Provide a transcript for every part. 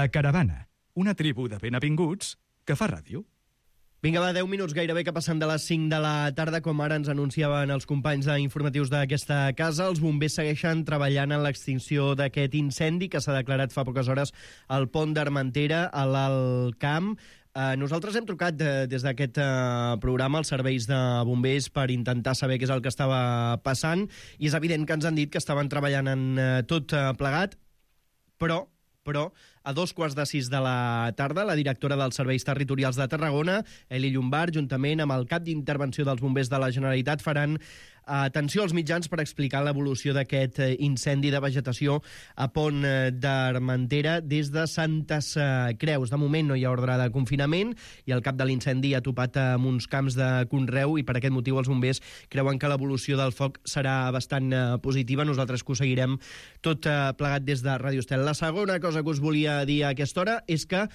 La Caravana, una tribu de ben avinguts que fa ràdio. Vinga, va, 10 minuts gairebé que passen de les 5 de la tarda, com ara ens anunciaven els companys d'informatius d'aquesta casa. Els bombers segueixen treballant en l'extinció d'aquest incendi que s'ha declarat fa poques hores al pont d'Armentera, a l'Alt Camp. Nosaltres hem trucat des d'aquest programa als serveis de bombers per intentar saber què és el que estava passant, i és evident que ens han dit que estaven treballant en tot plegat, però a 2:15 de la tarda, la directora dels Serveis Territorials de Tarragona, Eli Llombart, juntament amb el cap d'intervenció dels bombers de la Generalitat, faran atenció als mitjans per explicar l'evolució d'aquest incendi de vegetació a Pont d'Armentera des de Santes Creus. De moment no hi ha ordre de confinament i el cap de l'incendi ha topat amb uns camps de conreu, i per aquest motiu els bombers creuen que l'evolució del foc serà bastant positiva. Nosaltres que ho seguirem tot plegat des de Ràdio Estel. La segona cosa que us volia dir a aquesta hora és que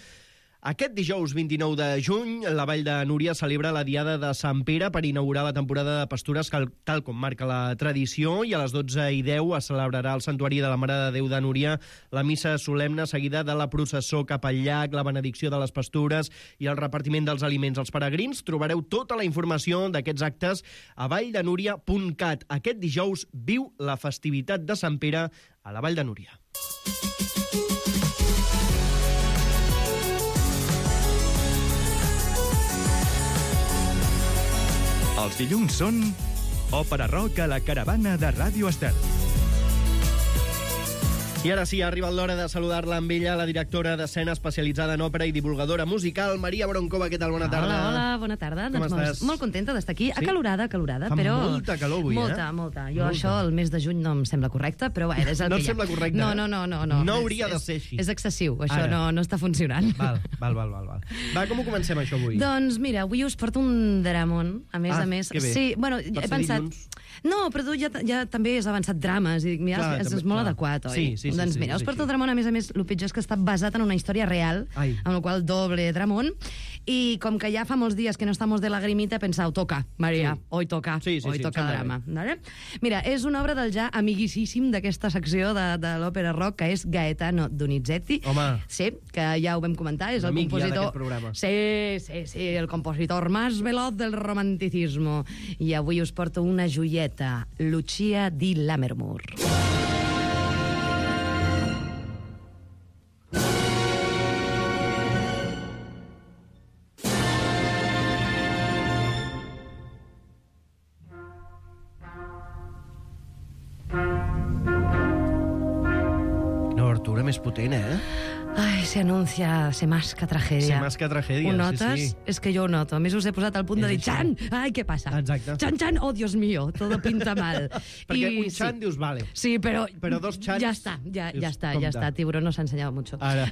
aquest dijous 29 de juny la Vall de Núria celebra la Diada de Sant Pere per inaugurar la temporada de pastures tal com marca la tradició, i a les 12:10 es celebrarà al Santuari de la Mare de Déu de Núria la missa solemne seguida de la processó cap al llac, la benedicció de les pastures i el repartiment dels aliments als peregrins. Trobareu tota la informació d'aquests actes a valldenúria.cat. Aquest dijous viu la festivitat de Sant Pere a la Vall de Núria. Els dilluns són Òpera Rock a la Caravana de Ràdio Estel. I ara sí, ha arribat l'hora de saludar-la amb ella, la directora d'escena especialitzada en òpera i divulgadora musical, Maria Broncova. Què tal? Bona tarda. Hola, bona tarda. Com estàs? Molt contenta d'estar aquí. Sí? Acalorada, Fa però... molta calor avui, Molta. Jo això, el mes de juny no em sembla correcte, però bé, és el No que et sembla correcte? No. No hauria de ser així. És excessiu, això Ara. no està funcionant. Val. Va, com ho comencem, això, avui? Doncs mira, avui us porto un dramón, a més. Que bé. Sí, bueno, he pensat... Dilluns. No, però tu ja també has avançat drames, i dic, mira, Clar, és molt adequat, oi? Sí, Doncs mira, us porto el dramón, a més, el pitjor és que està basat en una història real, Ai. amb el qual doble dramón, i com que ja fa molts dies que no estamos de lagrimita, he pensat, toca, Maria, Sí. hoy toca sembla drama. Vale? Mira, és una obra del ja amiguíssim d'aquesta secció de l'òpera rock, que és Gaetano Donizetti. Home. Sí, que ja ho vam comentar, és el Amic ja compositor... d'aquest programa. Sí, el compositor más veloz del romanticismo. I avui us porto una joieta, Lucia di Lammermoor. No, Artura, més potent, Ai, se masca tragedia. Se masca tragedia, Ho notes? sí. És que jo ho noto. A més, us he posat al punt de dir, És així. Chan! Ai, què passa? Exacte. Chan, oh, Dios mío, todo pinta mal. Perquè un Chan dius, vale. Sí, però... Però dos Chans... Ja està, ja dius, està. compte. Tiburón no s'ha ensenyat mucho. Ara.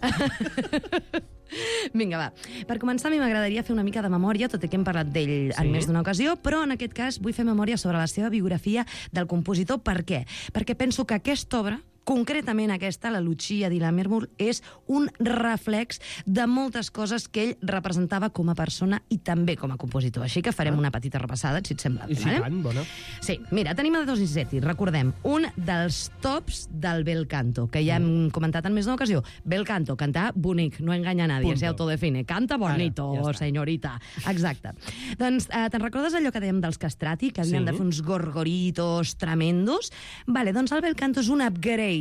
Vinga, va. Per començar, a mi m'agradaria fer una mica de memòria, tot i que hem parlat d'ell en més d'una ocasió, però en aquest cas vull fer memòria sobre la seva biografia del compositor. Per què? Perquè penso que aquesta obra, concretament aquesta, la Lucia di Lammermoor, és un reflex de moltes coses que ell representava com a persona i també com a compositor. Així que farem una petita repassada, si et sembla bé. I si tant, bona. Sí, mira, tenim a Donizetti, recordem, un dels tops del bel canto, que ja hem comentat en més d'una ocasió. Bel canto, cantar bonic, no enganya a nadie, Punto. se autodefine. Canta bonito, Ara, ja està. senyorita. Exacte. Doncs, te'n recordes allò que dèiem dels castrati, que havien de fer uns gorgoritos tremendos? Vale, doncs el bel canto és un upgrade.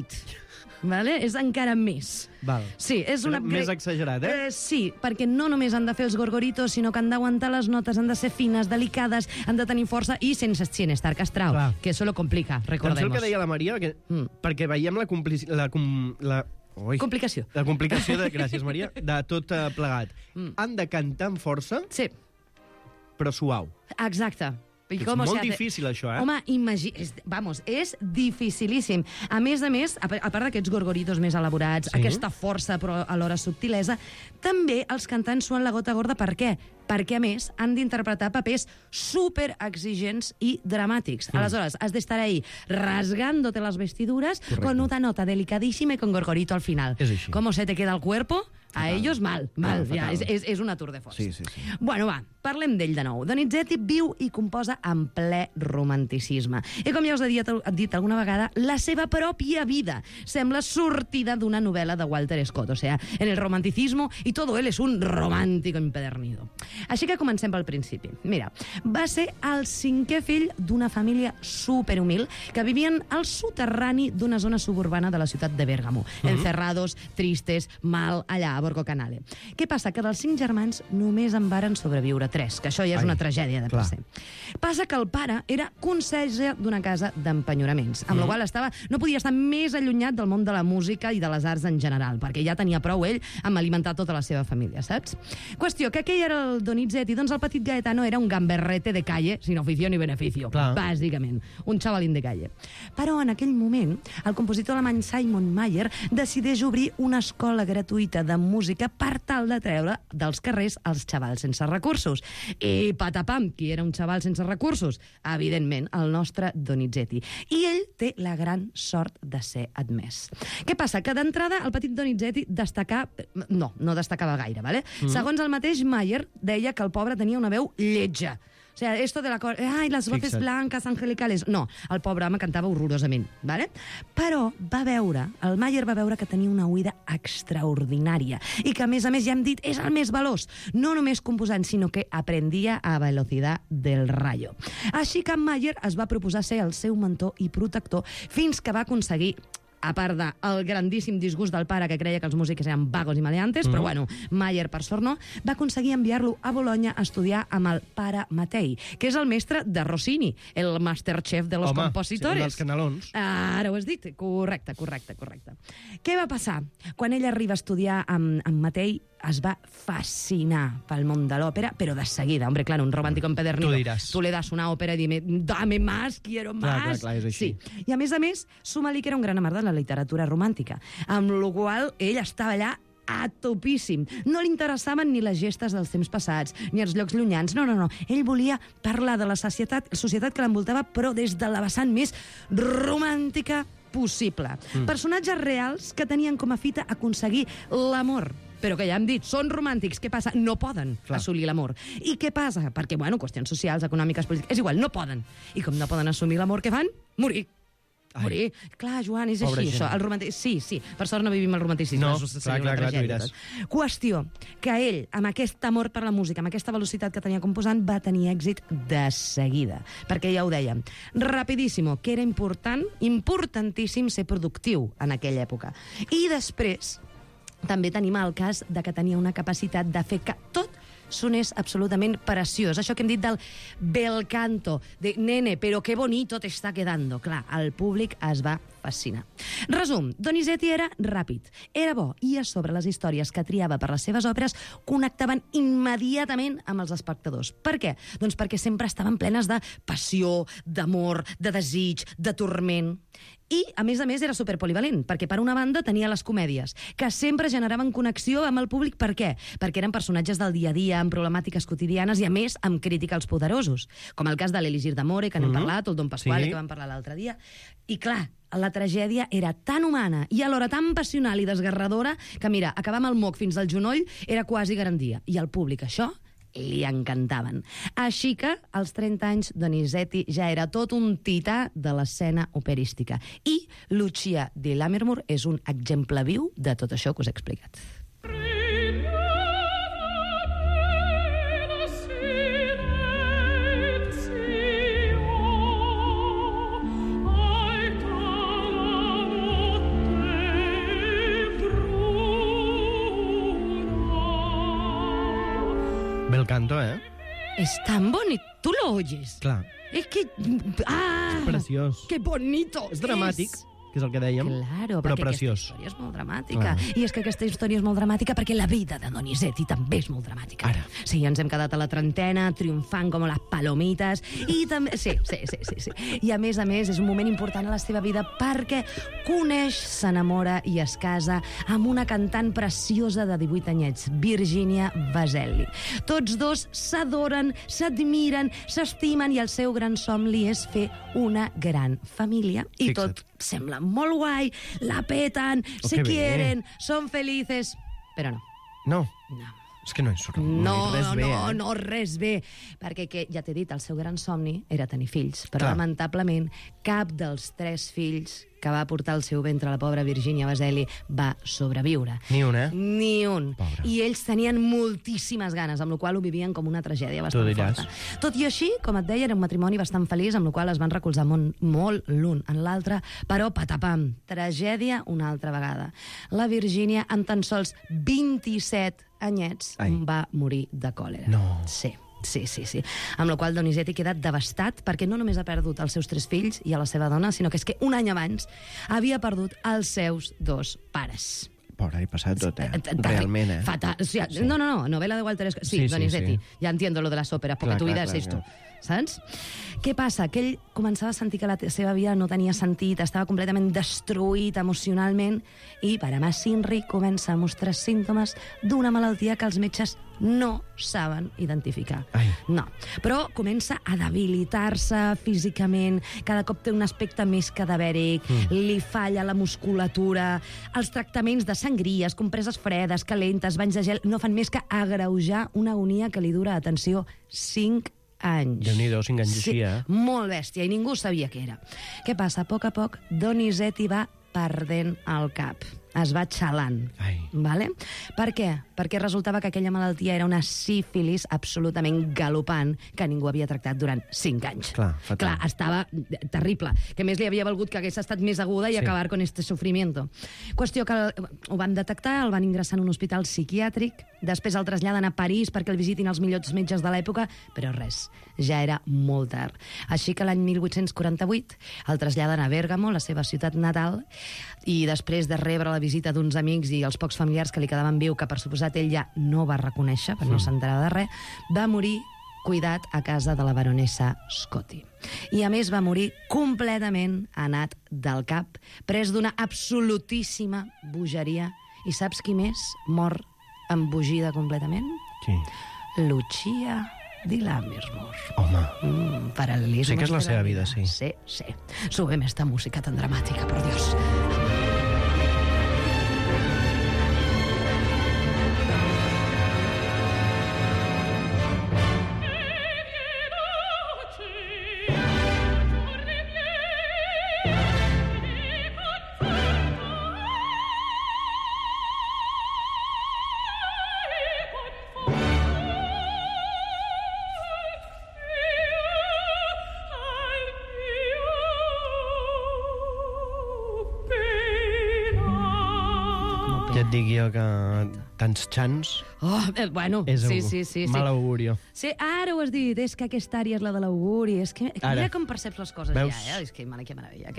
Vale? És encara més. Val. Sí, és un upgrade. Més exagerat, Sí, perquè no només han de fer els gorgoritos, sinó que han d'aguantar les notes, han de ser fines, delicades, han de tenir força i sense estar castrado, Clar. que eso lo complica, recordemos. Doncs el que deia la Maria, perquè veiem la Complicació. La complicació gràcies, Maria, de tot plegat. Han de cantar amb força, Sí, però suau. exacte. I És com molt se hace? difícil, això, Home, és dificilíssim. A més, a part d'aquests gorgoritos més elaborats, aquesta força però alhora subtilesa, també els cantants suen la gota gorda. Per què? Perquè, a més, han d'interpretar papers superexigents i dramàtics. Aleshores, has d'estar ahí rasgándote las vestiduras con una nota delicadísima y con gorgorito al final. És així. ¿Cómo se te queda el cuerpo? A ellos mal. Fatal. Ja, és una tour de force. Sí. Bueno, va, parlem d'ell de nou. Donizetti viu i composa en ple romanticisme. I com ja us he dit alguna vegada, la seva pròpia vida sembla sortida d'una novel·la de Walter Scott. O sea, en el romanticismo y todo él es un romántico empedernido. Així que comencem pel principi. Mira, va ser el 5è fill d'una família superhumil que vivien al soterrani d'una zona suburbana de la ciutat de Bèrgamo. Encerrados, tristes, mal, allà a Borgo Canale. Què passa? Que dels 5 germans només en varen sobreviure 3, que això ja és una tragèdia de per se. Passa que el pare era conserge d'una casa d'empenyoraments, amb la qual no podia estar més allunyat del món de la música i de les arts en general, perquè ja tenia prou ell amb alimentar tota la seva família, saps? Qüestió, que aquell era el Donizetti, doncs el petit Gaetano era un gamberrete de calle, sin oficio ni beneficio, bàsicament, un xavalín de calle. Però en aquell moment, el compositor alemany Simon Mayer decideix obrir una escola gratuïta de música per tal de treure dels carrers els xavals sense recursos. I patapam, qui era un xaval sense recursos? Evidentment, el nostre Donizetti. I ell té la gran sort de ser admès. Què passa? Que d'entrada el petit Donizetti no destacava gaire, ¿vale? Segons el mateix Mayer, deia que el pobre tenia una veu lletja. O sea, esto de la... Ai, les voces blancas, angelicales... No, el pobre home cantava horrorosament, ¿vale? Però el Mayer va veure que tenia una oïda extraordinària i que, a més, ja hem dit, és el més veloç. No només composant, sinó que aprendia a velocitat del rayo. Així que Mayer es va proposar ser el seu mentor i protector fins que va aconseguir, a part del grandíssim disgust del pare que creia que els músics eren vagos i maleantes, però bueno, Mayer, per sort no, va aconseguir enviar-lo a Bologna a estudiar amb el pare Matei, que és el mestre de Rossini, el masterchef de los compositores. Home, sí, dels canelons. Ara ho has dit. Correcte. Què va passar? Quan ell arriba a estudiar amb Matei, es va fascinar pel món de l'òpera, però de seguida. Hombre, claro, un romàntico empedernido. Tu le das una òpera i dime, dame más, quiero más. Clar, és així. Sí. I a més, suma-li que era un gran amant de la literatura romàntica, amb la qual ell estava allà a topíssim. No li interessaven ni les gestes dels temps passats, ni els llocs llunyans. No. Ell volia parlar de la societat que l'envoltava, però des de la vessant més romàntica possible. Personatges reals que tenien com a fita aconseguir l'amor, però que ja hem dit, són romàntics. Què passa? No poden assolir l'amor. I què passa? Perquè, qüestions socials, econòmiques, polítiques... És igual, no poden. I com no poden assumir l'amor, què fan? Morir. Clar, Joan, és així, això. El romanticisme... Sí. Per sort no vivim el romanticisme. No, clar, tu diràs. Qüestió, que ell, amb aquest amor per la música, amb aquesta velocitat que tenia composant, va tenir èxit de seguida. Perquè ja ho dèiem, rapidíssimo, que era importantíssim ser productiu en aquella època. I després també tenim el cas de que tenia una capacitat de fer que tot sonés absolutament preciós. Això que hem dit del bel canto, de nene, però que bonito te está quedando. Clar, el públic es va fascinar. Resum, Donizetti era ràpid, era bo, i a sobre les històries que triava per les seves òperes connectaven immediatament amb els espectadors. Per què? Doncs perquè sempre estaven plenes de passió, d'amor, de desig, de turment. I, a més, era superpolivalent, perquè per una banda tenia les comèdies, que sempre generaven connexió amb el públic. Per què? Perquè eren personatges del dia a dia, amb problemàtiques quotidianes i, a més, amb crítica als poderosos, com el cas de l'Elisir d'Amore, que n'hem parlat, o el Don Pasquale, que vam parlar l'altre dia. I, clar, la tragèdia era tan humana i alhora tan passional i desgarradora que, mira, acabar amb el moc fins al genoll era quasi garantia. I al públic això li encantaven. Així que, als 30 anys, Donizetti ja era tot un tità de l'escena operística. I Lucia di Lammermoor és un exemple viu de tot això que us he explicat. Bel canto, ¿eh? Es tan bonito. ¿Tú lo oyes? Clar. Es que... ¡Ah! És preciós. ¡Qué bonito! És dramàtic, que és el que dèiem, claro, però perquè preciós. Aquesta història és molt dramàtica. I és que aquesta història és molt dramàtica perquè la vida de Donizetti també és molt dramàtica. Ara. Sí, ens hem quedat a la trentena, triomfant com les palomites, i també... Sí. I a més, és un moment important a la seva vida perquè coneix, s'enamora i es casa amb una cantant preciosa de 18 anyets, Virginia Vaselli. Tots dos s'adoren, s'admiren, s'estimen i el seu gran somni és fer una gran família. I tot sembla molt guai, la peten, se quieren, són felices... Però no. No. És que no hi surt res bé, No, res bé. Perquè, ja t'he dit, el seu gran somni era tenir fills. Però, Clar. lamentablement, cap dels 3 fills que va portar al seu ventre la pobra Virginia Baselli va sobreviure. Ni un, eh? Ni un. Pobre. I ells tenien moltíssimes ganes, amb la qual ho vivien com una tragèdia bastant forta. Tot i així, com et deia, era un matrimoni bastant feliç, amb la qual es van recolzar molt l'un en l'altre, però patapam, tragèdia una altra vegada. La Virginia, amb tan sols 27 anyets, va morir de còlera. No. Sí. Amb la qual Donizetti queda devastat perquè no només ha perdut els seus 3 fills i a la seva dona, sinó que és que un any abans havia perdut els seus 2 pares. Pobre, he passat tot, realment, eh? Fatal. O sea, sí. No, novela de Walter Scott. Sí, Donizetti. Sí. Ja entiendo lo de las óperas, porque tu vida es esto. Saps? Què passa? Que ell començava a sentir que la seva vida no tenia sentit, estava completament destruït emocionalment i Paramas Sinri comença a mostrar símptomes d'una malaltia que els metges no saben identificar. No. Però comença a debilitar-se físicament, cada cop té un aspecte més cadavèric, li falla la musculatura, els tractaments de sangries, compreses fredes, calentes, banys de gel, no fan més que agreujar una agonia que li dura, atenció, 5 anys. Déu-n'hi-do, 5 anys així, eh? Molt bèstia, i ningú sabia què era. Què passa? A poc Donizetti va perdent el cap. Es va xalant. Vale? Per què? Perquè resultava que aquella malaltia era una sífilis absolutament galopant que ningú havia tractat durant 5 anys. Clar, estava terrible. Que més li havia valgut que hagués estat més aguda i acabar con este sufrimiento. Qüestió que ho van detectar, el van ingressar en un hospital psiquiàtric, després el traslladen a París perquè el visitin els millors metges de l'època, però res, ja era molt tard. Així que l'any 1848 el traslladen a Bèrgamo, la seva ciutat natal, i després de rebre la visita d'uns amics i els pocs familiars que li quedaven viu, que per suposat ell ja no va reconèixer, perquè no s'enterava de res, va morir cuidat a casa de la baronessa Scotti. I a més va morir completament anat del cap, pres d'una absolutíssima bogeria. I saps qui més mor embogida completament? Qui? Lucia di Lammermoor. Home. Paral·lelismes. Sí que és la seva vida, sí. Sí. Subem esta música tan dramàtica, por Dios. Ja et dic jo que tants xans Bueno, és sí. mal augurio. Sí, ara ho has dit, és que aquesta àrea és la de l'auguri, és que mira com perceps les coses. Veus? Ja, és que que meravella.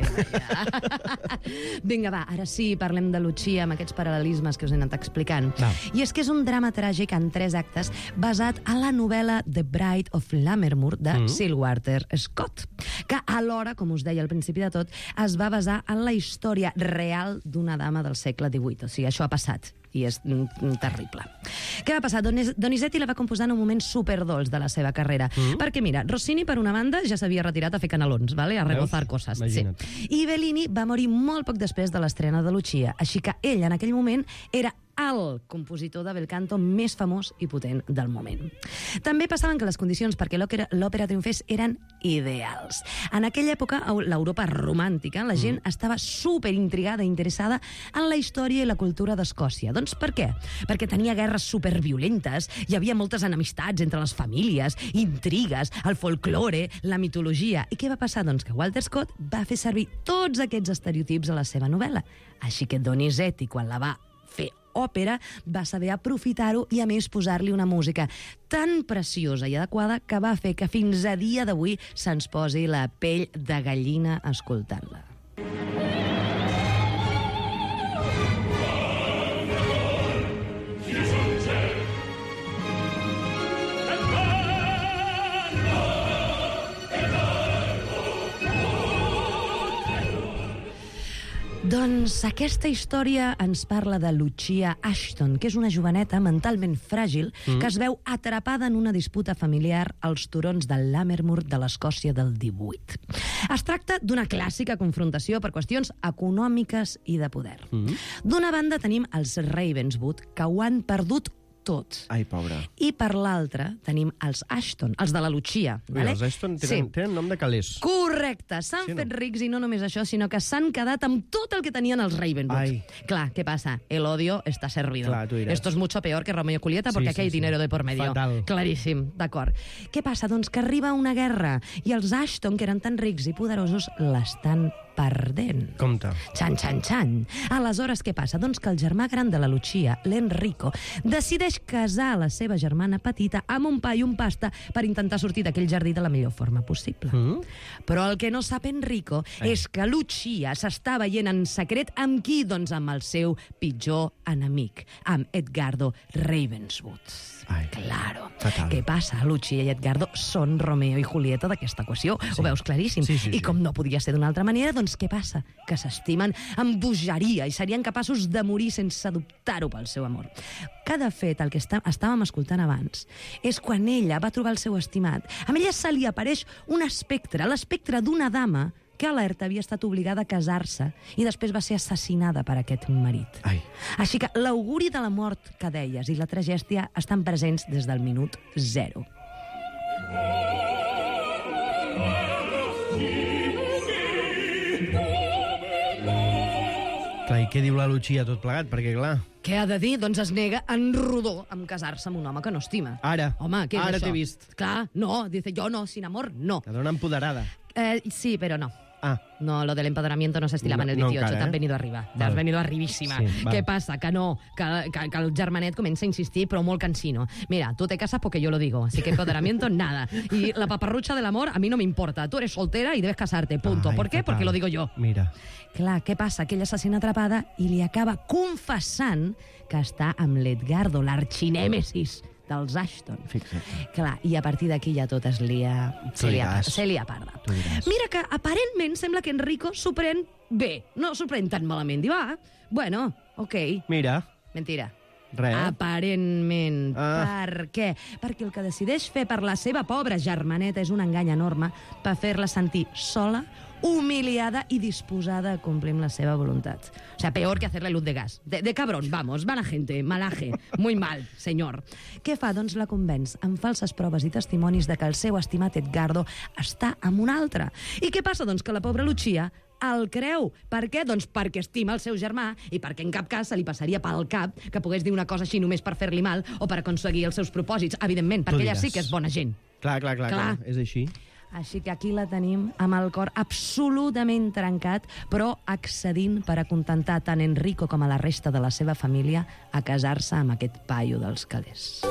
Vinga, va, ara sí, parlem de Lucia amb aquests paral·lelismes que us he anat explicant. I és que és un drama tràgic en 3 actes basat a la novel·la The Bride of Lammermoor de Sir Walter Scott, que alhora, com us deia al principi de tot, es va basar en la història real d'una dama del segle XVIII. O sigui, això ha passat i és terrible. Què va passar? Donizetti la va composar en un moment superdolç de la seva carrera. Perquè, mira, Rossini, per una banda, ja s'havia retirat a fer canelons, ¿vale? A rebozar coses. Sí. I Bellini va morir molt poc després de l'estrena de Lucia, així que ell, en aquell moment, era el compositor de bel canto més famós i potent del moment. També passaven que les condicions perquè l'òpera triomfés eren ideals. En aquella època, a l'Europa romàntica, la gent estava superintrigada i interessada en la història i la cultura d'Escòcia. Doncs per què? Perquè tenia guerres superviolentes, hi havia moltes enemistats entre les famílies, intrigues, el folklore, la mitologia. I què va passar? Doncs que Walter Scott va fer servir tots aquests estereotips a la seva novel·la. Així que Donizetti, quan la va fer òpera, va saber aprofitar-ho i a més posar-li una música tan preciosa i adequada que va fer que fins a dia d'avui se'ns posi la pell de gallina escoltant-la. Doncs aquesta història ens parla de Lucia Ashton, que és una joveneta mentalment fràgil que es veu atrapada en una disputa familiar als turons del Lammermoor de l'Escòcia del 18. Es tracta d'una clàssica confrontació per qüestions econòmiques i de poder. D'una banda tenim els Ravenswood, que ho han perdut tot. Ai, pobra. I per l'altra tenim els Ashton, els de la Lucia. Ui, els Ashton tenen nom de calés. Correcte, s'han fet rics i no només això, sinó que s'han quedat amb tot el que tenien els Ravenwood. Ai. Clar, ¿qué pasa? El odio está servido. Clar, tu diràs. Esto es mucho peor que Romeo y Julieta porque aquí hay dinero de por medio. Fatal. Claríssim, d'acord. Què passa? Doncs que arriba una guerra i els Ashton, que eren tan rics i poderosos, l'estan perdent. Compte. Xan, xan, xan. Aleshores, què passa? Doncs que el germà gran de la Lucia, l'Enrico, decideix casar la seva germana petita amb un pa i un pasta per intentar sortir d'aquell jardí de la millor forma possible. Però el que no sap Enrico és que Lucia s'està veient en secret amb qui? Doncs amb el seu pitjor enemic, amb Edgardo Ravenswood. Ai, claro. fatal. Què passa? Lucia i Edgardo són Romeo i Julieta d'aquesta equació. Ho veus claríssim. Sí. I com no podia ser d'una altra manera, doncs què passa? Que s'estimen amb bogeria i serien capaços de morir sense dubtar-ho pel seu amor. Que, de fet, el que estàvem escoltant abans és quan ella va trobar el seu estimat. A ella se li apareix un espectre, l'espectre d'una dama que alerta havia estat obligada a casar-se i després va ser assassinada per aquest marit. Ai. Així que l'auguri de la mort que deies i la tragèdia estan presents des del minut 0. Clar, i què diu la Lucia tot plegat? Perquè, clar... Què ha de dir? Doncs es nega en rodó amb casar-se amb un home que no estima. Ara. Home, què és Ara això? t'he vist. Clar, no, dice, yo no, sin amor, no. La dona empoderada. Sí, pero no. Ah. No, lo del empoderamiento no se estilaba en el 18, encara, te has venido arriba. Te has venido arribíssima. Sí, Què passa? Que no, que el germanet comença a insistir, però molt cansino. Mira, tú te casas porque yo lo digo, así que empoderamiento, nada. Y la paparrucha del amor, a mí no me importa. Tú eres soltera y debes casarte, punto. Ai, ¿Por qué? fatal. Porque lo digo yo. Mira. Clar, què passa? Que ella se sent atrapada i li acaba confessant que està amb l'Edgardo, l'arxinèmesis dels Ashton. Fixa't. Clar, i a partir d'aquí ja tot es lia... Se lia parda. Tu diràs. Mira que aparentment sembla que Enrico s'ho pren bé. No s'ho pren tan malament. Diu, bueno, ok. Mira. Mentira. Res. Aparentment. Per què? Perquè el que decideix fer per la seva pobra germaneta és un engany enorme per fer-la sentir sola, humiliada y disposada a complir la seva voluntat. O sea, peor que hacerle luz de gas. De cabrón, vamos, mala gente, malaje, muy mal, senyor. Què fa? Doncs la convenç amb falses proves i testimonis de que el seu estimat Edgardo està amb un altre. I què passa? Doncs que la pobra Lucia el creu. Per què? Doncs perquè estima el seu germà i perquè en cap cas se li passaria pel cap que pogués dir una cosa així només per fer-li mal o per aconseguir els seus propòsits, evidentment, perquè ella sí que és bona gent. Clar, és així. Així que aquí la tenim amb el cor absolutament trencat, però accedint per acontentar tant Enrico com a la resta de la seva família a casar-se amb aquest paio dels calés.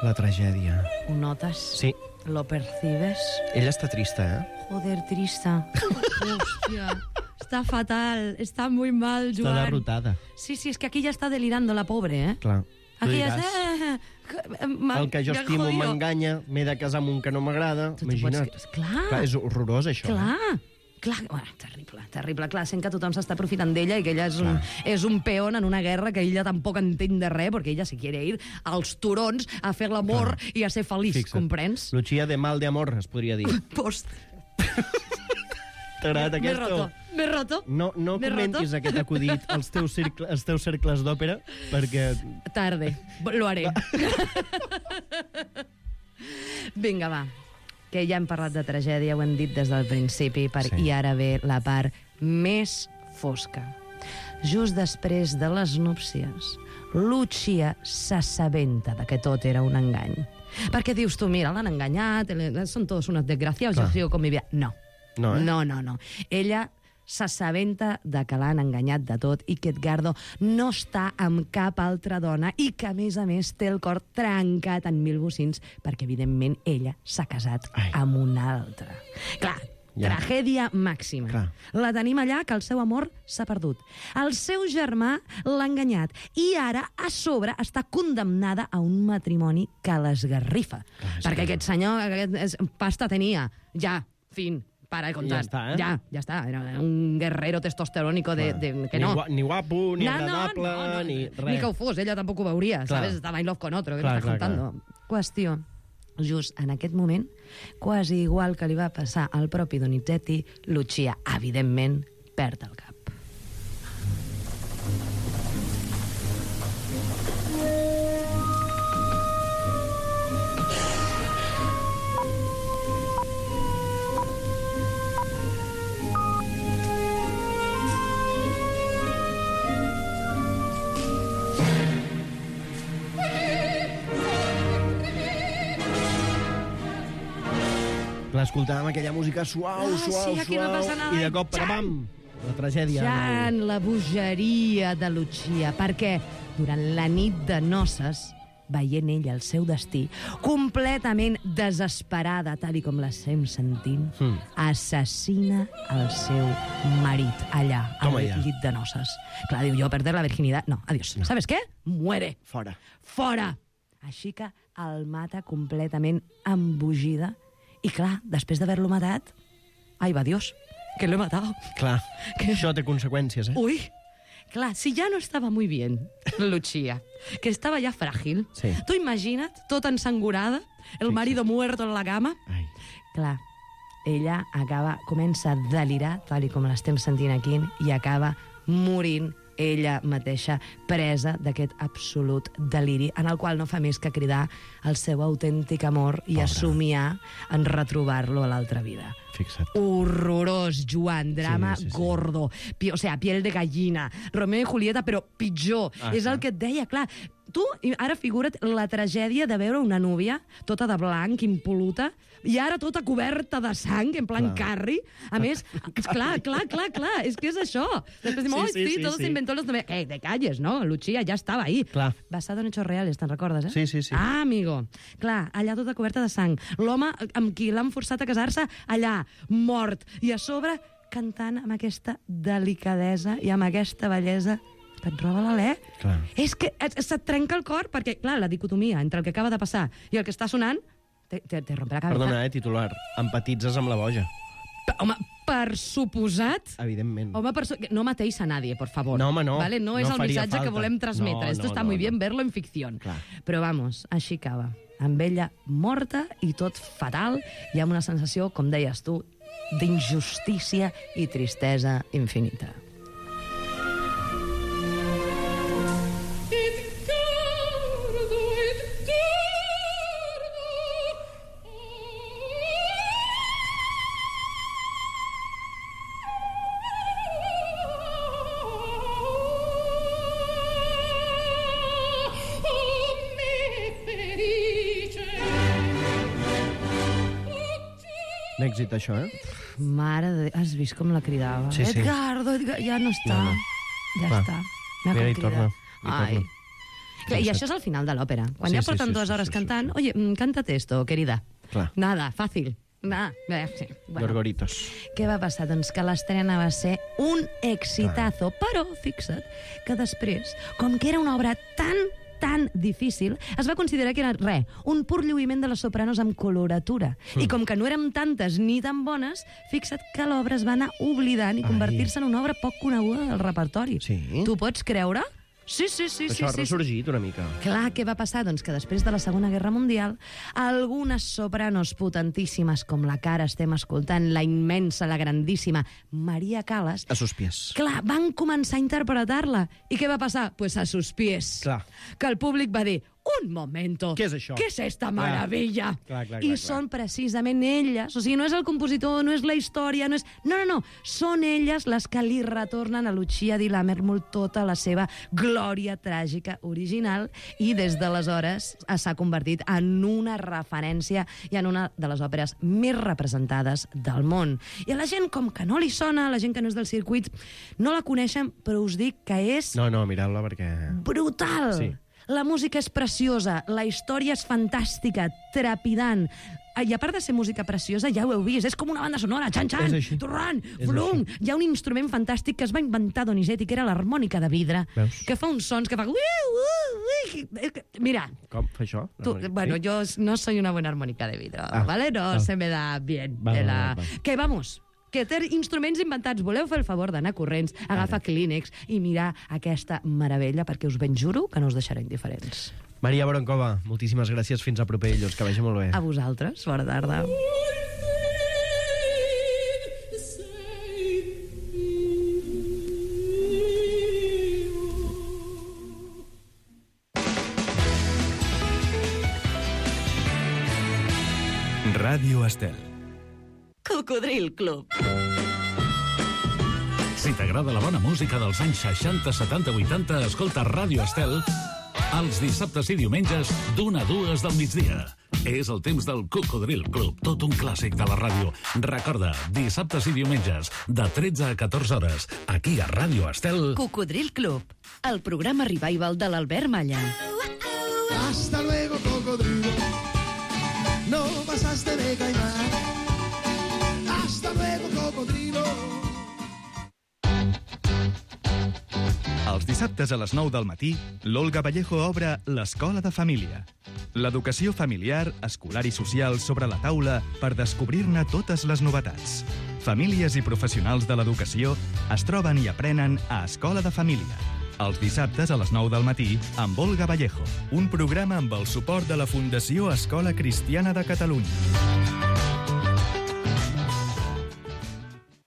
La tragèdia. Ho notes? Sí. Lo percibes? Ella està trista, Joder, trista. Hòstia, està fatal, està muy mal, Joan. Està derrotada. Sí, és que aquí ja està delirando la pobre, Clar. Aquí ja diràs, el que jo estimo m'enganya, m'he de casar amb un que no m'agrada. Imagina't. Clar, és horrorós, això. Clar, bueno, terrible. Clar, sent que tothom s'està aprofitant d'ella i que ella és un peón en una guerra que ella tampoc entén de res, perquè ella si quiere ir als turons a fer l'amor i a ser feliç, comprens? Lucia de mal de amor, es podria dir. Post. T'ha agradat aquesta? M'he roto. No comentis aquest acudit als teus cercles d'òpera, perquè... Tarde, lo haré. Vinga, va, que ja hem parlat de tragèdia, ho hem dit des del principi, i ara ve la part més fosca. Just després de les núpcies, Lucia s'assabenta de que tot era un engany. Perquè dius tu, mira, l'han enganyat, són tots unos desgraciados, jo sigo con mi vida. No. No. Ella s'assabenta de que l'han enganyat de tot i que Edgardo no està amb cap altra dona i que, a més, té el cor trencat en mil bocins perquè, evidentment, ella s'ha casat amb una altra. Clar, Tragèdia màxima. Clar. La tenim allà, que el seu amor s'ha perdut. El seu germà l'ha enganyat i ara, a sobre, està condemnada a un matrimoni que l'esgarrifa. Perquè aquest senyor pasta tenia. Ja, fin. Para de contar. Ja està, eh? Ja està. Era un guerrero testosterónico que no. Ni guapo, ni agradable, ni res. Ni que ho fos, ella tampoc ho veuria, ¿sabes? Estava in love con otro, què m'estàs contando? Qüestió. Just en aquest moment, quasi igual que li va passar al propi Donizetti, Lucia, evidentment, perd el cap. Escoltàvem aquella música suau, aquí no passa nada. i de cop, pam, la tragèdia. Jan, la bogeria de Lucia, perquè durant la nit de noces, veient ella el seu destí, completament desesperada, tal com l'estem sentint, assassina el seu marit allà, al llit de noces. Clar, diu, jo perder la virginitat... No, adiós. No. ¿Sabes què? Muere. Fora. Fora. Així que el mata completament embogida. I clar, després d'haver-lo matat... Ai, va Dios, que lo he matado. Clar, això té conseqüències, eh? Uy, clar, si ja no estava muy bien, Lucia, que estava ja fràgil, tu imagina't, tota ensangurada, el marido muerto en la cama... Ai. Clar, ella comença a delirar, tal com l'estem sentint aquí, i acaba morint ella mateixa, presa d'aquest absolut deliri, en el qual no fa més que cridar el seu autèntic amor i a somiar en retrobar-lo a l'altra vida. Fixa't. Horrorós, Joan, drama gordo, o sea, piel de gallina, Romeo i Julieta, però pitjor. És el que et deia, clar. Tu, ara figura't la tragèdia de veure una núvia tota de blanc, impoluta, i ara tota coberta de sang, en plan Carrie. A més, clar, és que és això. Després diu, todo se inventó los... te calles, no? Lucia ja estava ahí. Basado en hechos reales, te'n recordes, eh? Sí. Ah, amigo. Clar, allà tota coberta de sang. L'home amb qui l'han forçat a casar-se, allà, mort. I a sobre, cantant amb aquesta delicadesa i amb aquesta bellesa que et roba l'alè. És que se't trenca el cor, perquè, clar, la dicotomia entre el que acaba de passar i el que està sonant te rompe la cabeza. Perdona, titular. Empatitzes amb la boja. Home, per suposat... Evidentment. Home, no matéis a nadie, por favor. No, home, no. ¿Vale? No es el missatge que volem transmetre. No, Esto está muy bien verlo en ficción. Però vamos, així acaba. Amb ella morta i tot fatal i amb una sensació, com deies tu, d'injustícia i tristesa infinita. Èxit, això, eh? Mare de... Has vist com la cridava? Sí. Edgardo, ja no està. Ja està. Mira, hi torna. Ai. I això és el final de l'òpera. Quan ja porten 2 hores cantant, oye, cántate esto, querida. Nada, fàcil. Gorgoritos. Què va passar? Doncs que l'estrena va ser un exitazo, però fixa't que després, com que era una obra tan difícil, es va considerar que era, un pur lluïment de les sopranos amb coloratura. I com que no érem tantes ni tan bones, fixa't que l'obra es va anar oblidant i convertir-se en una obra poc coneguda del repertori. Sí? Tu pots creure? Sí. Això ha ressorgit una mica. Clar, què va passar? Doncs que després de la Segona Guerra Mundial, algunes sopranos potentíssimes, com la que ara estem escoltant, la immensa, la grandíssima Maria Callas... A sus pies. Clar, van començar a interpretar-la. I què va passar? Pues a sus pies. Clar. Que el públic va dir... Un momento. Què és això? Què és esta maravilla? Clar. I són precisament elles. O sigui, no és el compositor, no és la història, no és... No. Són elles les que li retornen a Lucia di Lammermoor tota la seva glòria tràgica original i des d'aleshores s'ha convertit en una referència i en una de les òperes més representades del món. I a la gent, com que no li sona, la gent que no és del circuit, no la coneixen, però us dic que és... No, mireu-la perquè... Brutal! Sí. La música és preciosa, la història és fantàstica, trepidant. I a part de ser música preciosa, ja ho heu vist, és com una banda sonora, xan-xan, torrant, flum. Hi ha un instrument fantàstic que es va inventar Donizetti, que era l'harmònica de vidre, que fa uns sons que fa... Mira. Com fa això? Bueno, yo no soy una buena armónica de vidre, ¿vale? No se me da bien. Que vamos... que té instruments inventats. Voleu fer el favor d'anar corrents, agafar Kleenex i mirar aquesta meravella, perquè us ben juro que no us deixaré indiferents. Maria Broncova, moltíssimes gràcies. Fins a proper dilluns. Que vagi molt bé. A vosaltres. Bona tarda. Ràdio Estel. Cocodril Club. Si t'agrada la bona música dels anys 60, 70, 80, escolta Ràdio Estel els dissabtes i diumenges d'1 a 2 del migdia. És el temps del Cocodril Club, tot un clàssic de la ràdio. Recorda, dissabtes i diumenges, de 13 a 14 hores, aquí a Ràdio Estel... Cocodril Club, el programa revival de l'Albert Malla. Hasta luego, cocodrilo. No pasaste de caimán. Hasta luego, cocodrilo. Els dissabtes a les 9 del matí, l'Olga Vallejo obre l'Escola de Família. L'educació familiar, escolar i social sobre la taula per descobrir-ne totes les novetats. Famílies i professionals de l'educació es troben i aprenen a Escola de Família. Els dissabtes a les 9 del matí amb Olga Vallejo. Un programa amb el suport de la Fundació Escola Cristiana de Catalunya.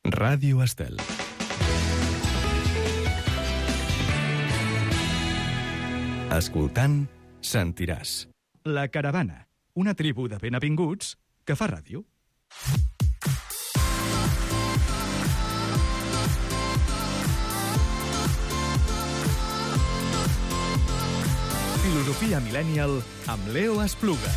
Ràdio Estel. Escoltant, sentiràs. La Caravana, una tribu de ben avinguts que fa ràdio. Filosofia Millennial amb Leo Espluga.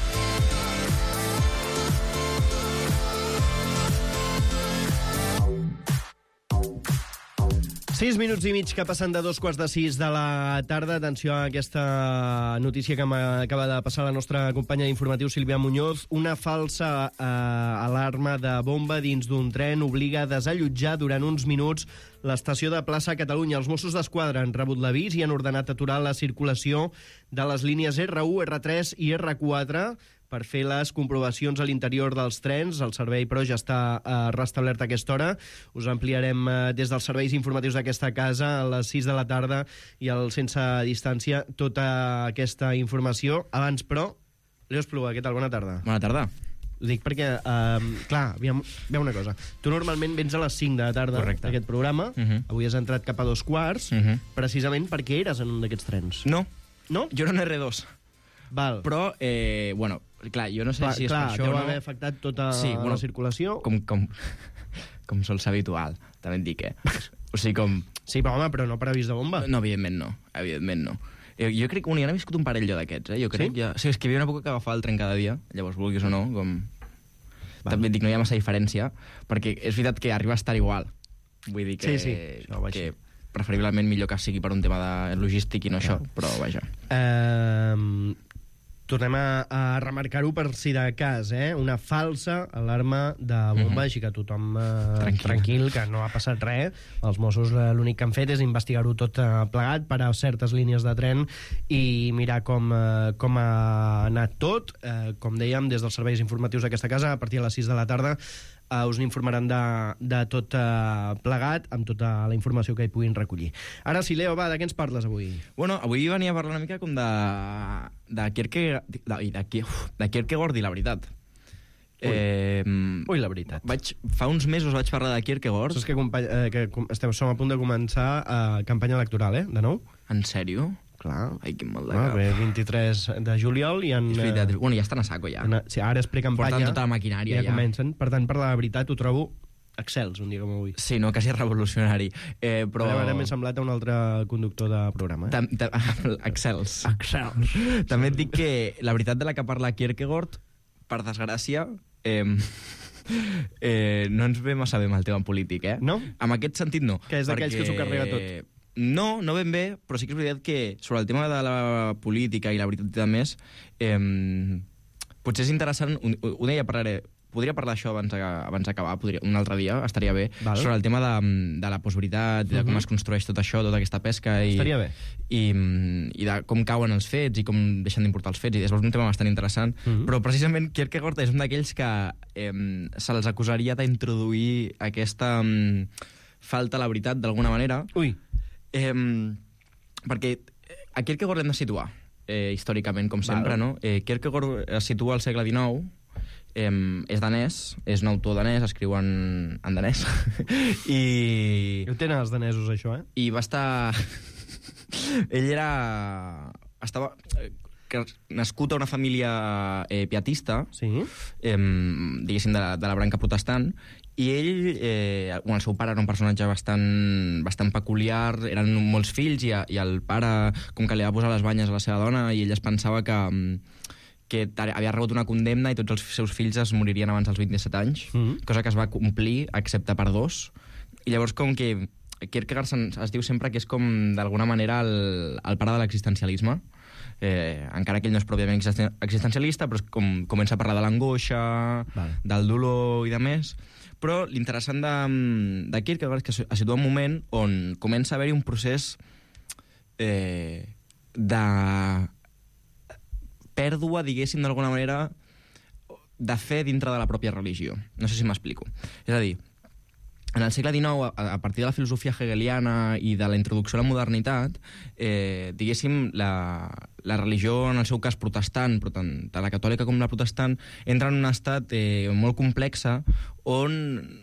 6 minuts i mig que passen de 2:45 de la tarda. Atenció a aquesta notícia que m'acaba de passar la nostra companya d'informatiu, Sílvia Muñoz. Una falsa alarma de bomba dins d'un tren obliga a desallotjar durant uns minuts l'estació de Plaça Catalunya. Els Mossos d'Esquadra han rebut l'avís i han ordenat aturar la circulació de les línies R1, R3 i R4 per fer les comprovacions a l'interior dels trens. El servei, però, ja està restablert a aquesta hora. Us ampliarem des dels serveis informatius d'aquesta casa a les 6 de la tarda i al Sense Distància tota aquesta informació. Abans, però, Leo Espluga, què tal? Bona tarda. Bona tarda. Ho dic perquè, clar, veu una cosa. Tu normalment vens a les 5 de la tarda d'aquest programa. Avui has entrat cap a 2:15, precisament perquè eres en un d'aquests trens. No. No? Jo era en R2. Val. Però, bueno, clar, jo no sé si és per això o no. Clar, deu haver afectat tota la circulació. Com sol ser habitual, també et dic, O sigui, com... Sí, però home, però no per avís de bomba. No, evidentment no. Jo crec que jo n'he viscut un parell jo d'aquests, Jo crec ja... O sigui, és que hi havia una època que agafava el tren cada dia, llavors, vulguis o no, com... També et dic, no hi ha massa diferència, perquè és veritat que arriba a estar igual. Vull dir que... Sí, això va que preferiblement millor que sigui per un tema de logístic i no això, però vaja. Tornem a remarcar-ho per si de cas, una falsa alarma de bomba, així que tothom tranquil, que no ha passat res. Els Mossos l'únic que han fet és investigar-ho tot plegat per a certes línies de tren i mirar com ha anat tot. Com dèiem, des dels serveis informatius d'aquesta casa, a partir de les 6 de la tarda, us n'informaran de tot plegat, amb tota la informació que hi puguin recollir. Ara sí, Leo, va, de què ens parles avui? Bueno, avui venia a parlar una mica com de Kierkegaard i la veritat. Ui, la veritat. Fa uns mesos vaig parlar de Kierkegaard. Saps que som a punt de començar campanya electoral, de nou? En sèrio? Clar. Ai, quin mal de cap. Bé, 23 de juliol i en... És veritat. Bueno, ja estan a saco, ja. Sí, ara és precampanya. Portant tota la maquinària, ja. Comencen. Per tant, per la veritat, ho trobo excels, un dia com avui. Sí, no, quasi revolucionari. Però... Ara m'he semblat a un altre conductor de programa. Excels. També et dic que la veritat de la que parla Kierkegaard, per desgràcia, no ens ve massa bé amb el tema polític, No? En aquest sentit, no. Que és d'aquells que s'ho carrega tot. No ben bé, però sí que és veritat que sobre el tema de la política i la veritat i de més, potser és interessant, un dia podria parlar això abans d'acabar, un altre dia, estaria bé, sobre el tema de la postveritat, de com es construeix tot això, tota aquesta pesca, estaria bé. I de com cauen els fets i com deixen d'importar els fets, i és un tema bastant interessant, però precisament Kierkegaard és un d'aquells que se'ls acusaria d'introduir aquesta falta a la veritat d'alguna manera. Ui. Perquè a Kierkegaard l'hem de situar històricament, com sempre, no? Kierkegaard es situa al segle XIX, és danès, és un autor danès, escriu en danès, i... Ho tenen els danesos, això, I va estar... Ell estava nascut a una família pietista, diguéssim, de la branca protestant, i ell, el seu pare era un personatge bastant peculiar, eren molts fills, i el pare, com que li va posar les banyes a la seva dona, i ell es pensava que havia rebut una condemna i tots els seus fills es moririen abans dels 27 anys, cosa que es va complir, excepte per 2. I llavors, com que Kierkegaard es diu sempre que és com, d'alguna manera, el pare de l'existencialisme, encara que ell no és pròpiament existencialista, però comença a parlar de l'angoixa, del dolor i de més. Però l'interessant de Kierkegaard és que es situa un moment on comença a haver-hi un procés de pèrdua, diguéssim, d'alguna manera, de fe dintre de la pròpia religió. No sé si m'explico. És a dir, en el segle XIX, a partir de la filosofia hegeliana i de la introducció a la modernitat, diguéssim, la religió, en el seu cas protestant, però tant la catòlica com la protestant, entra en un estat molt complexa on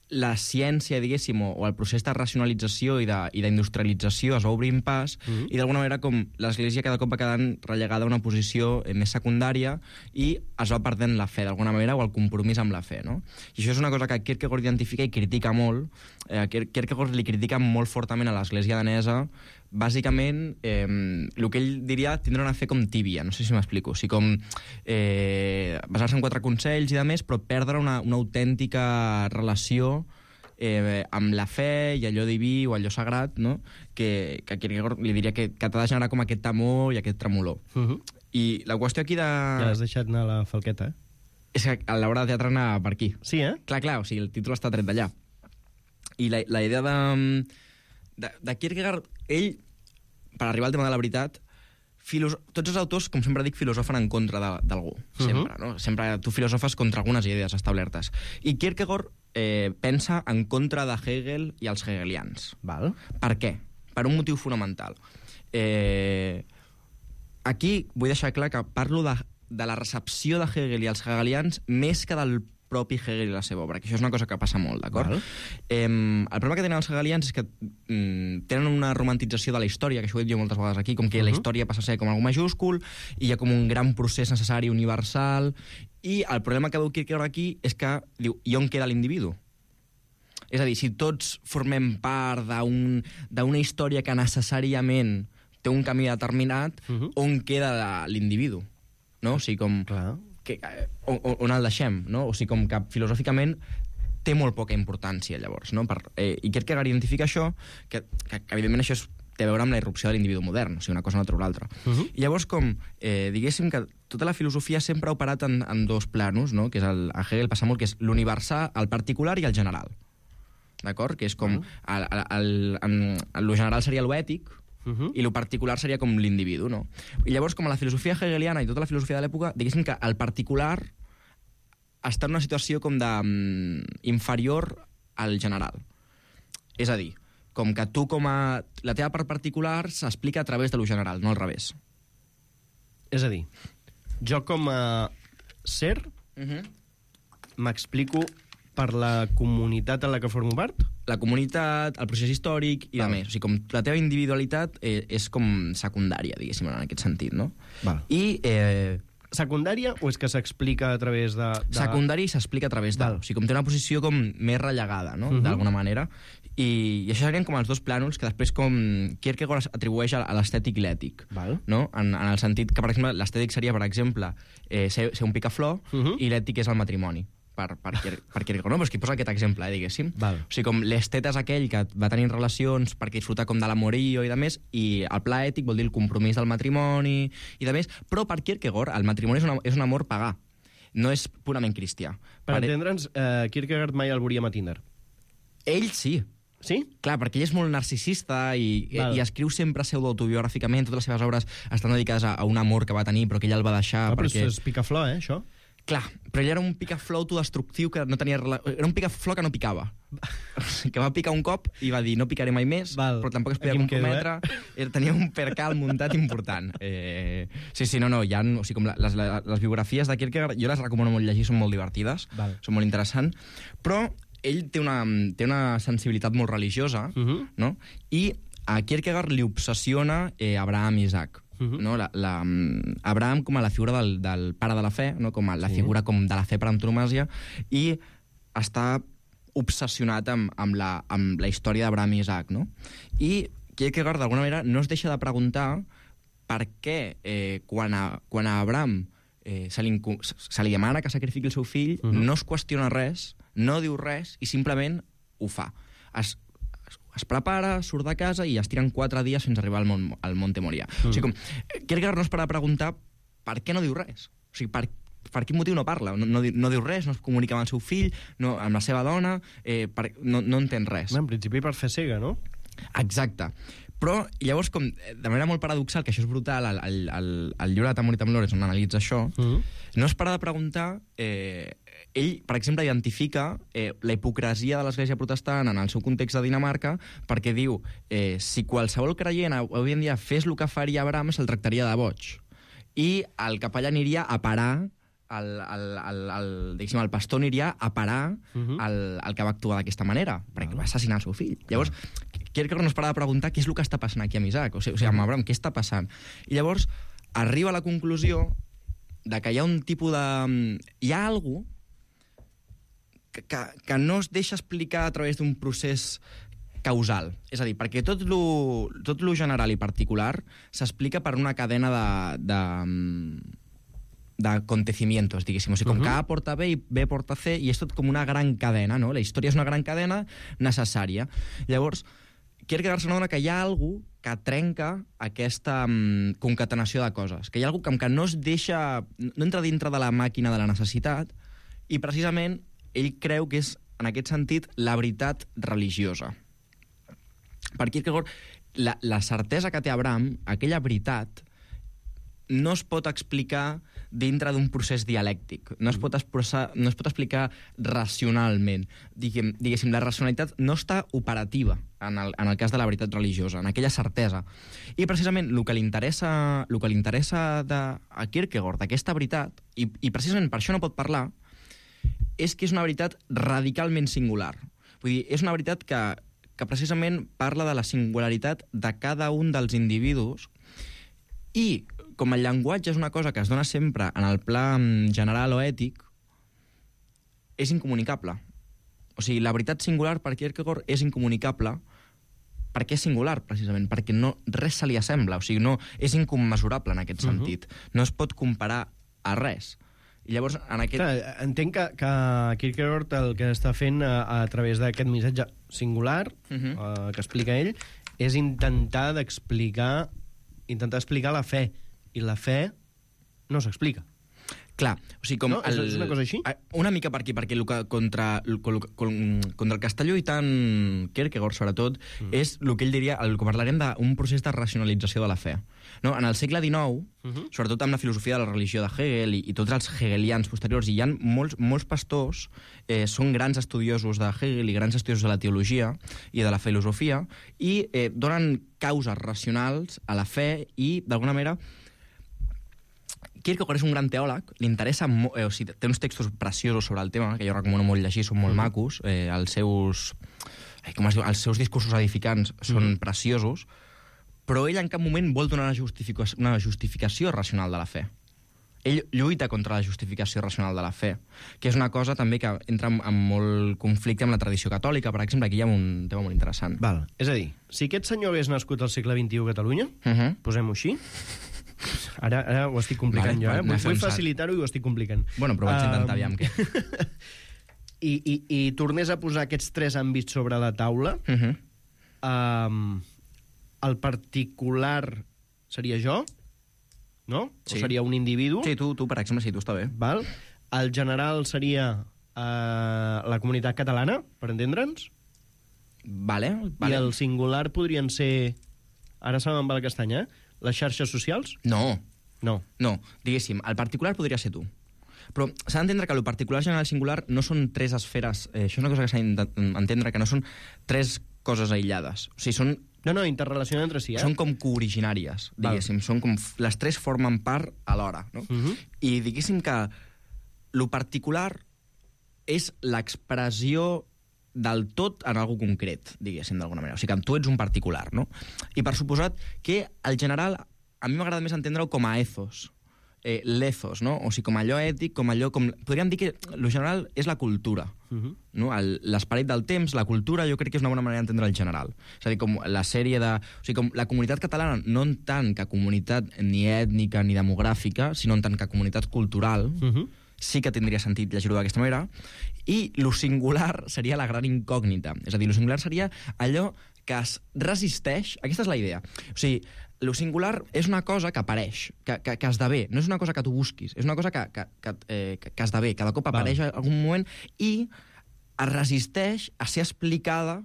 la ciència, diguéssim, o el procés de racionalització i d'industrialització es va obrint pas, i d'alguna manera com l'Església cada cop va quedant relegada a una posició més secundària i es va perdent la fe d'alguna manera, o el compromís amb la fe, no? I això és una cosa que Kierkegaard identifica i critica molt. Kierkegaard li critica molt fortament a l'Església danesa, bàsicament, el que ell diria tindre una fe com tíbia, no sé si m'explico, o sigui, com basar-se en 4 consells i de més, però perdre una autèntica relació amb la fe i allò diví o allò sagrat, no? que Kierkegaard li diria que t'ha de generar com aquest temor i aquest tremolor. I la qüestió aquí de... Ja l'has deixat anar a la falqueta, És que a l'hora de teatre anar per aquí. Sí, Clar, o sigui, el títol està tret d'allà. I la idea de Kierkegaard, ell, per arribar al tema de la veritat, tots els autors, com sempre dic, filosofen en contra d'algú, sempre, no? Sempre tu filosofes contra algunes idees establertes. I Kierkegaard pensa en contra de Hegel i els hegelians. Val. Per què? Per un motiu fonamental. Aquí vull deixar clar que parlo de la recepció de Hegel i els hegelians més que del propi Hegel i la seva obra, que això és una cosa que passa molt, d'acord? El problema que tenen els hegelians és que tenen una romantització de la història, que això ho he dit jo moltes vegades aquí, com que la història passa a ser com algo majúscul, i hi ha com un gran procés necessari universal, i el problema que veu Kierkegaard aquí és que diu, i on queda l'individu? És a dir, si tots formem part d'una història que necessàriament té un camí determinat, on queda l'individu? No? O sigui, com... Clar. On el deixem, no? O sigui, com que filosòficament té molt poca importància, llavors, no? I Kierkegaard identifica això, que evidentment això té a veure amb la irrupció de l'individu modern, o sigui, una cosa no treu l'altra. I llavors, com, diguéssim que tota la filosofia sempre ha operat en 2 planos, no? Que és a Hegel passa molt, que és l'universal, el particular i el general. D'acord? Que és com... Lo general seria lo ètic, i lo particular seria com l'individu, no? I llavors, com a la filosofia hegeliana i tota la filosofia de l'època, diguéssim que el particular està en una situació com inferior al general. És a dir, com que tu la teva part particular s'explica a través de lo general, no al revés. És a dir, jo com a ser m'explico per la comunitat en la que formo part? La comunitat, el procés històric i de més. O sigui, com la teva individualitat és com secundària, diguéssim, en aquest sentit, no? Val. I... secundària o és que s'explica a través de... Secundària i s'explica a través de... O sigui, com té una posició com més rellegada, no? D'alguna manera. I això serien com els 2 plànols que després com Kierkegaard atribueix a l'estètic i l'ètic. No? En el sentit que, per exemple, l'estètic seria, per exemple, ser un picaflor i l'ètic és el matrimoni. per Kierkegaard, no? Però és que posa aquest exemple, diguéssim. Val. O sigui, com l'esteta és aquell que va tenir relacions perquè disfruta com de l'amorío i de més, i el pla ètic vol dir el compromís del matrimoni i de més, però per Kierkegaard el matrimoni és un amor pagà, no és purament cristià. Per entendre'ns, Kierkegaard mai el veuríem a Tinder. Ell sí. Sí? Clar, perquè ell és molt narcisista i escriu sempre pseudoautobiogràficament, totes les seves obres estan dedicades a un amor que va tenir però que ell el va deixar. Però perquè... és picaflor, això? Clar, però ell era un picaflor autodestructiu que no tenia... Era un picaflor que no picava. Que va picar un cop i va dir no picaré mai més, però tampoc es podia comprometre. Tenia un percal muntat important. Sí, no, hi ha... O sigui, com les biografies de Kierkegaard, jo les recomano molt llegir, són molt divertides, són molt interessants, però ell té una sensibilitat molt religiosa, no? I a Kierkegaard li obsessiona Abraham i Isaac. No? Abraham com a la figura del pare de la fe, no? Com a la figura com de la fe per antonomàsia, i està obsessionat amb la història d'Abraham i Isaac. No? I Kierkegaard, d'alguna manera, no es deixa de preguntar per què quan a Abraham se li demana que sacrifiqui el seu fill, no es qüestiona res, no diu res i simplement ho fa. Es prepara, surt de casa i es tiren 4 dies fins a arribar al Monte Moria. O sigui, Kierkegaard no es para a preguntar per què no diu res. O sigui, per quin motiu no parla? No diu res, no es comunica amb el seu fill, amb la seva dona, no entén res. En principi per fer cega, no? Exacte. Però llavors, com de manera molt paradoxal, que això és brutal, el llibre de Tamor i Temblores, on analitza això, no es para de preguntar... Ell, per exemple, identifica la hipocresia de l'Església Protestant en el seu context de Dinamarca perquè diu, si qualsevol creient avui en dia fes el que faria Abraham, se'l tractaria de boig. I el capellà aniria a parar, el pastor aniria a parar el que va actuar d'aquesta manera, perquè va assassinar el seu fill. Llavors, Kierkegaard no es para de preguntar què és el que està passant aquí amb Isaac, o sigui, amb Abraham, què està passant? I llavors arriba a la conclusió de que hi ha un tipus de... Hi ha algú que no es deixa explicar a través d'un procés causal. És a dir, perquè tot lo general i particular s'explica per una cadena d'acontecimientos, diguéssim. O sigui, com que A porta B i B porta C, i és tot com una gran cadena, no? La història és una gran cadena necessària. Llavors, Kierkegaard s'adona que hi ha algú que trenca aquesta concatenació de coses, que hi ha algú que no es deixa... no entra dintre de la màquina de la necessitat, i precisament ell creu que és, en aquest sentit, la veritat religiosa. Per Kierkegaard, la certesa que té Abraham, aquella veritat, no es pot explicar dintre d'un procés dialèctic, no es pot explicar racionalment. Diguéssim, la racionalitat no està operativa en el cas de la veritat religiosa, en aquella certesa. I precisament el que li interessa a Kierkegaard, d'aquesta veritat, i precisament per això no pot parlar, és que és una veritat radicalment singular. Vull dir, és una veritat que precisament parla de la singularitat de cada un dels individus, i com el llenguatge és una cosa que es dona sempre en el pla general o ètic, és incomunicable. O sigui, la veritat singular per Kierkegaard és incomunicable perquè és singular, precisament, perquè res se li assembla. O sigui, és incommensurable en aquest sentit. No es pot comparar a res. I llavors, en aquest... Clar, entenc que Kierkegaard el que està fent a través d'aquest missatge singular que explica ell és intentar explicar la fe. I la fe no s'explica. Clar, o sigui, com... No? És una cosa així? Una mica per aquí, perquè contra el que està lluitant Kierkegaard, sobretot, és el que ell diria, el que parlarem d'un procés de racionalització de la fe. No? En el segle XIX, sobretot amb la filosofia de la religió de Hegel i tots els hegelians posteriors, hi ha molts pastors, són grans estudiosos de Hegel i grans estudiosos de la teologia i de la filosofia, i donen causes racionals a la fe i, d'alguna manera, Kierkegaard és un gran teòleg, li interessa o sigui, té uns textos preciosos sobre el tema, que jo recomano molt llegir, són molt macos, els seus discursos edificants són preciosos, però ell en cap moment vol donar una justificació racional de la fe. Ell lluita contra la justificació racional de la fe, que és una cosa també que entra en molt conflicte amb la tradició catòlica, per exemple, aquí hi ha un tema molt interessant. Val. És a dir, si aquest senyor hagués nascut al segle XXI a Catalunya, posem-ho així, ara ho estic complicant jo, vull facilitar-ho i ho estic complicant. Bueno, però vaig intentar, aviam què. i tornés a posar aquests 3 àmbits sobre la taula, el particular seria jo, no? Sí. O seria un individu. Sí, tu, per exemple, sí, tu està bé. Val? El general seria la comunitat catalana, per entendre'ns. Vale. I el singular podrien ser... Ara se me'n va la castanya, les xarxes socials? No, No. diguéssim, el particular podria ser tu. Però s'ha d'entendre que el particular, general i singular no són 3 esferes... això és una cosa que s'ha d'entendre, que no són 3 coses aïllades. O sigui, són... No, interrelacionen entre si, Són com cooriginàries, diguéssim. Són com... Les 3 formen part alhora, no? I diguéssim que lo particular és l'expressió del tot en algú concret, diguéssim, d'alguna manera. O sigui, que tu ets un particular, no? I per suposat que el general, a mi m'agrada més entendre-ho com a ethos, l'ethos, no? O sigui, com allò ètic, com allò... Podríem dir que el general és la cultura, no? L'esperit del temps, la cultura, jo crec que és una bona manera d'entendre el general. És a dir, com la sèrie de... O sigui, com la comunitat catalana, no en tant que comunitat ni ètnica ni demogràfica, sinó en tant que comunitat cultural, sí que tindria sentit llegir-ho d'aquesta manera, i lo singular seria la gran incògnita. És a dir, lo singular seria allò que es resisteix... Aquesta és la idea. O sigui, lo singular és una cosa que apareix, que esdevé. No és una cosa que tu busquis, és una cosa que esdevé. Cada cop apareix en algun moment i es resisteix a ser explicada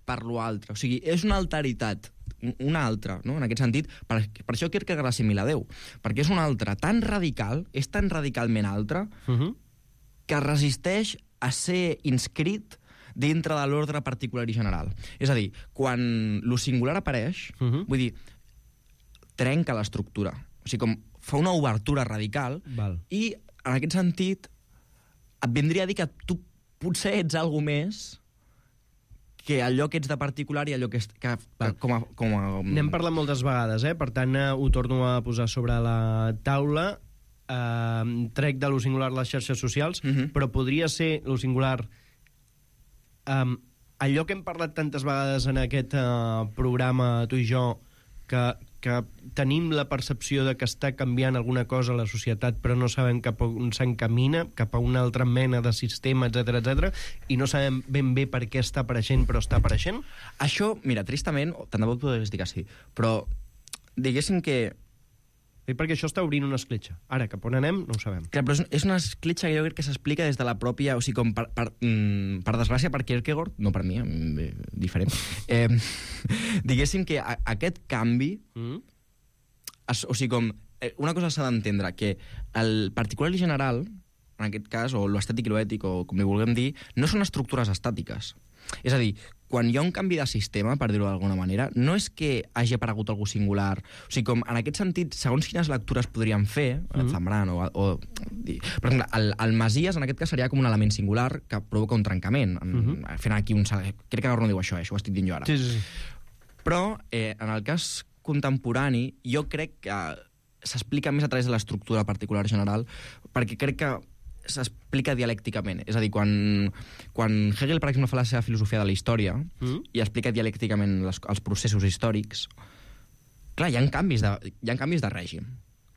per l'altre. O sigui, és una alteritat, una altra, no? En aquest sentit, per això Kierkegaard l'assimila a Déu, perquè és una altra tan radical, és tan radicalment altra, que resisteix a ser inscrit dintre de l'ordre particular i general. És a dir, quan lo singular apareix, vull dir, trenca l'estructura. O sigui, com fa una obertura radical, i en aquest sentit et vindria a dir que tu potser ets algo més que allò que ets de particular i allò que com a... N'hem parlat moltes vegades, per tant, ho torno a posar sobre la taula. Trec de lo singular les xarxes socials, però podria ser lo singular allò que hem parlat tantes vegades en aquest programa, tu i jo, que tenim la percepció de que està canviant alguna cosa a la societat, però no sabem cap a on s'encamina, cap a una altra mena de sistema, etc, i no sabem ben bé per què està apareixent, però està apareixent? Això, mira, tristament, tant de bo podries dir que sí, però diguéssim que... Perquè això està obrint una escletxa. Ara, cap on anem, no ho sabem. Clar, però és una escletxa que jo crec que s'explica des de la pròpia... O sigui, com per desgràcia, per Kierkegaard, no per mi, diferent, diguéssim que aquest canvi... O sigui, com... Una cosa s'ha d'entendre, que el particular i general, en aquest cas, o l'estètic i l'ètic, o com li vulguem dir, no són estructures estàtiques. És a dir, quan hi ha un canvi de sistema, per dir-ho d'alguna manera, no és que hagi aparegut algú singular. O sigui, com en aquest sentit, segons quines lectures podríem fer, Zambrano, per exemple, el Masies, en aquest cas, seria com un element singular que provoca un trencament. Fent aquí un... Crec que no diu això, això ho estic dient jo ara. Sí. Però, en el cas contemporani, jo crec que s'explica més a través de l'estructura particular general, perquè crec que s'explica dialècticament. És a dir, quan Hegel, per exemple, fa la seva filosofia de la història i explica dialècticament els processos històrics, clar, hi ha canvis de règim.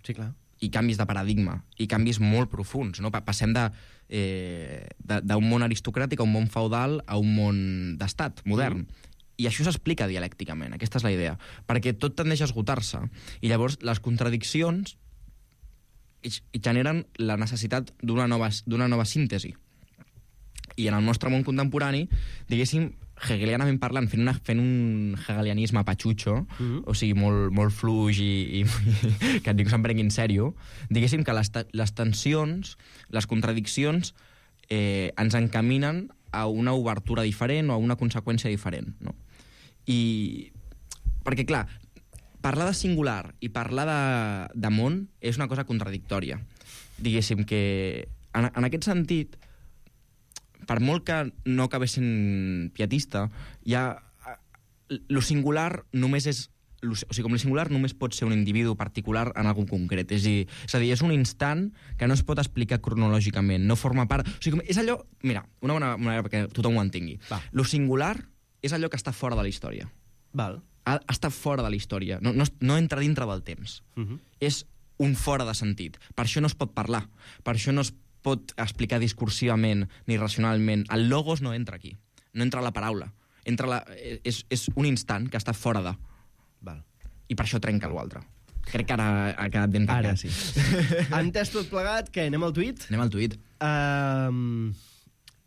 Sí, clar. I canvis de paradigma, i canvis molt profuns, no? Passem d'un món aristocràtic a un món feudal a un món d'estat modern. I això s'explica dialècticament, aquesta és la idea, perquè tot tendeix a esgotar-se. I llavors les contradiccions i generen la necessitat d'una nova síntesi. I en el nostre món contemporani, diguéssim, hegelianament parlant, fent un hegelianisme patxutxo, o sigui, molt fluix i que ningú se'n prengui en sèrio, diguéssim que les tensions, les contradiccions, ens encaminen a una obertura diferent o a una conseqüència diferent, no? I... Perquè, clar, parlar de singular i parlar de món és una cosa contradictòria. Diguéssim que, en aquest sentit, per molt que no acabés sent pietista, lo singular només és... O sigui, com el singular només pot ser un individu particular en algun concret. És a dir, és un instant que no es pot explicar cronològicament, no forma part... O sigui, és allò... Mira, una bona manera perquè tothom ho entengui. Lo singular és allò que està fora de la història. Val. Està fora de la història, no entra dintre del temps. És un fora de sentit. Per això no es pot parlar, per això no es pot explicar discursivament ni racionalment. El logos no entra aquí. No entra la paraula. És un instant que està fora de. Val. I per això trenca l'altre. Crec que ara ha quedat ben tancat. Ara sí. Entès tot plegat, què? Anem al tuit? Anem al tuit.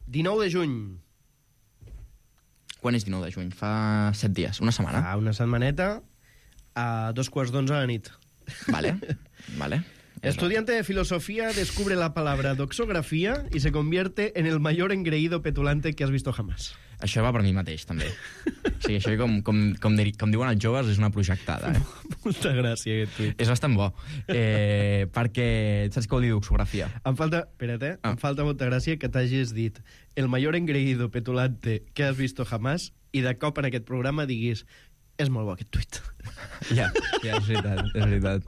19 de juny. Quan és 19 de juny? Fa 7 dies, una setmana. Fa una setmaneta, a 2:15 de la nit. Vale. Estudiante de filosofía descubre la palabra doxografía y se convierte en el mayor engreído petulante que has visto jamás. Això va per mi mateix, també. O sigui, això, com diuen els joves, és una projectada. Molta gràcia, aquest tuit. És bastant bo. Perquè, saps què vol dir doxografia? Em falta, espera't, em falta molta gràcia que t'hagis dit el mayor engreído petulante que has visto jamás i de cop en aquest programa diguis és molt bo aquest tuit. Ja, és veritat.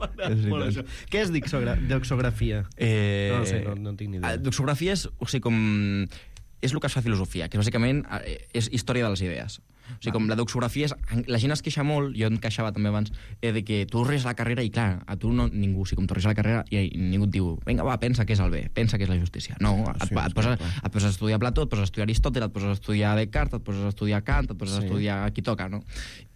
Què és doxografia? No sé, no tinc ni idea. Doxografia és, o sigui, és el que es fa filosofia, que bàsicament és història de les idees. O sigui, com la doxografia és... La gent es queixa molt, jo em queixava també abans, de que tu ries a la carrera i, clar, a tu no, ningú, o sigui, com tu ries a la carrera i ningú et diu, vinga, va, pensa què és el bé, pensa què és la justícia. No, et poses a estudiar Plató, et poses a estudiar Aristòtel, et poses a estudiar Descartes, et poses a estudiar Kant, et poses a estudiar qui toca, no?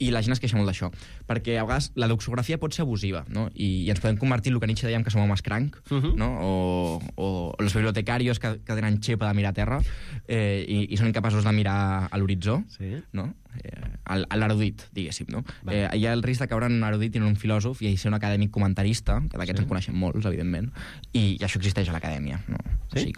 I la gent es queixa molt d'això, perquè a vegades la doxografia pot ser abusiva, no? I ens podem convertir en el que Nietzsche dèiem que som homes cranc, no? O els bibliotecarios que tenen xepa de mirar a terra i són incapaços de mirar a l'horitzó, no? L'erudit, diguéssim, no? Hi ha el risc de caure en un erudit i en un filòsof i ser un acadèmic comentarista, que d'aquests en coneixem molts, evidentment, i això existeix a l'acadèmia, no? O sigui,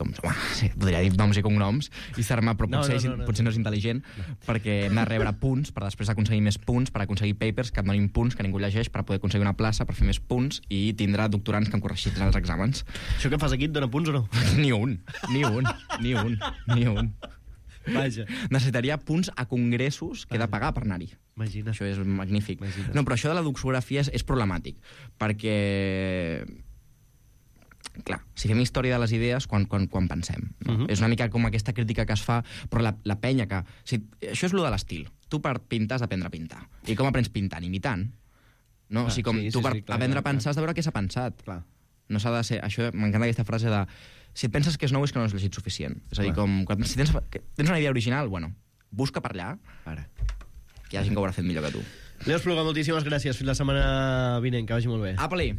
podria dir noms i cognoms i ser-me, però potser no és intel·ligent, perquè hem de rebre punts per després aconseguir més punts, per aconseguir papers que et donin punts que ningú llegeix, per poder aconseguir una plaça, per fer més punts i tindrà doctorants que han corregit els exàmens. Això que fas aquí et dona punts o no? Ni un. Vaja. Necessitaria punts a congressos que he de pagar per anar-hi. Imagina. Això és magnífic. No, però això de la doxografia és problemàtic, perquè... Clar, si fem història de les idees, quan pensem. No? És una mica com aquesta crítica que es fa, però la penya que... Això és lo de l'estil. Tu per pintar has d'aprendre a pintar. I com aprens pintant? Imitant. No? O sigui, tu per aprendre a pensar has de veure què s'ha pensat. No s'ha de ser... Això m'encanta aquesta frase de... Si et penses que és nou és que no has llegit suficient. És a dir, si tens una idea original, bueno, busca per allà, que hi ha gent que ho haurà fet millor que tu. Leo Espluga, moltíssimes gràcies. Fins la setmana vinent, que vagi molt bé. Apa-li!